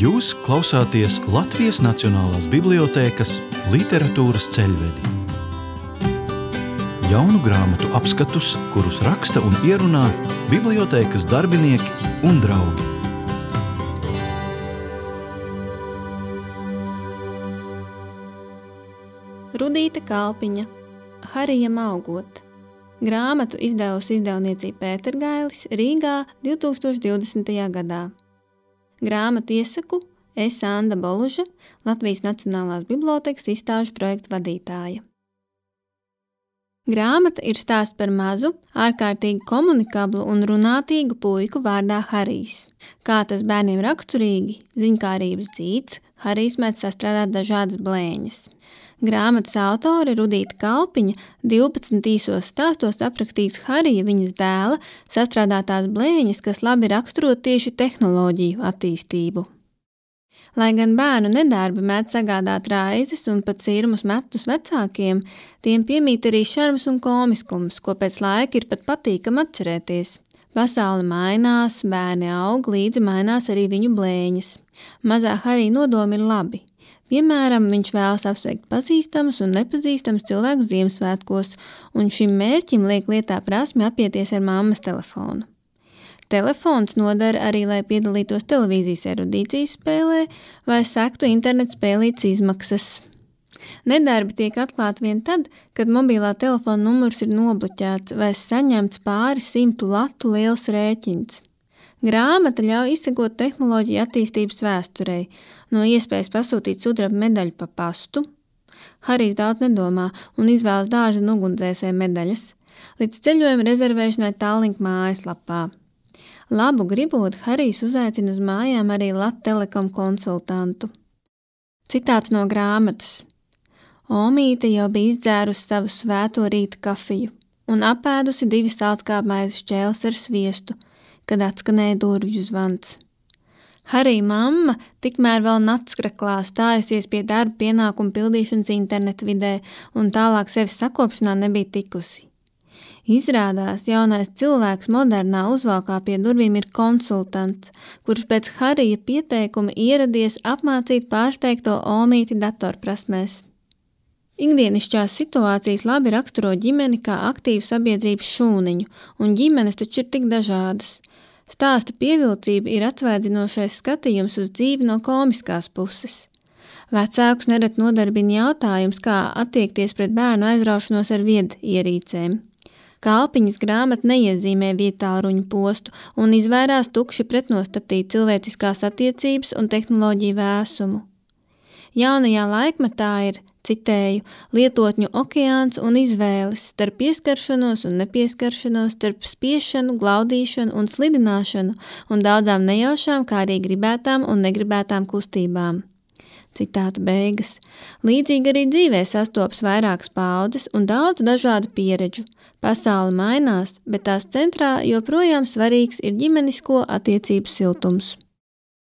Jūs klausāties Latvijas Nacionālās bibliotēkas literatūras ceļvedi. Jaunu grāmatu apskatus, kurus raksta un ierunā bibliotēkas darbinieki un draugi. Rudīte Kalpiņa, Harijam augot. Grāmatu izdevusi izdevniecība Pētergailis Rīgā 2020. gadā. Grāmatu iesaku es Anda Boluža, Latvijas Nacionālās bibliotēkas izstāžu projektu vadītāja. Grāmata ir stāsts par mazu, ārkārtīgi komunikablu un runātīgu puiku vārdā Harijs. Kā tas bērniem raksturīgi, ziņkārības dzīts, Harijs mēdz sastrādāt dažādas blēņas. Grāmatas autore Rudīte Kalpiņa 12 īsos stāstos aprakstīs Harija viņas dēla sastrādātās blēņas, kas labi raksturo tieši tehnoloģiju attīstību. Lai gan bērnu nedarbi mēdz sagādāt raizes un pat cirmus metus vecākiem, tiem piemīt arī šarms un komiskums, ko pēc laika ir pat patīkam atcerēties. Pasaule mainās, bērni aug, līdzi mainās arī viņu blēņas. Mazā Harija nodomi ir labi. Piemēram, viņš vēlas apsveikt pazīstamus un nepazīstamus cilvēkus Ziemassvētkos, un šim mērķim liek lietā prasmi apieties ar mammas telefonu. Telefons noder arī, lai piedalītos televīzijas erudīcijas spēlē vai sektu internetu spēlītes izmaksas. Nedarbi tiek atklāti vien tad, kad mobilā telefona numurs ir nobloķēts vai saņemts pāri 100 latu liels rēķins. Grāmata ļauj izsekot tehnoloģiju attīstības vēsturei, no iespējas pasūtīt sudraba medaļu pa pastu. Harijs daudz nedomā un izvēlas dārza un ugunsdzēsēju medaļas, līdz ceļojuma rezervēšanai Tallink mājaslapā. Labu gribot, Harijs uzaicina uz mājām arī Lattelekom konsultantu. Citāts no grāmatas. Omīte jau bija izdzērusi savu svēto rīta kafiju un apēdusi 2 saltkāpmaizes šķēles ar sviestu, kad atskanēja durvju zvans. Harija mamma tikmēr vēl natskraklā stājusies pie darba pienākumu pildīšanas internetu vidē un tālāk sevis sakopšanā nebija tikusi. Izrādās, jaunais cilvēks modernā uzvalkā pie durvīm ir konsultants, kurš pēc Harija pieteikuma ieradies apmācīt pārsteigto omīti datorprasmēs. Ikdienišķās situācijas labi raksturo ģimeni kā aktīvu sabiedrības šūniņu, un ģimenes taču ir tik dažādas. Stāsta pievilcība ir atsvaidzinošais skatījums uz dzīvi no komiskās puses. Vecākus nerad nodarbina jautājums, kā attiekties pret bērnu aizraušanos ar viedierīcēm. Kalpiņas grāmata neiezīmē vietāluruņu postu un izvairās tukši pretnostatīt cilvēciskās attiecības un tehnoloģiju vēsumu. Jaunajā laikmetā ir, citēju, lietotņu okeāns un izvēles starp pieskaršanos un nepieskaršanos, starp spiešanu, glaudīšanu un slidināšanu un daudzām nejaušām, kā arī gribētām un negribētām kustībām. Citāta beigas. Līdzīgi arī dzīvē sastopas vairākas paaudzes un daudz dažādu pieredžu. Pasaule mainās, bet tās centrā joprojām svarīgs ir ģimenisko attiecību siltums.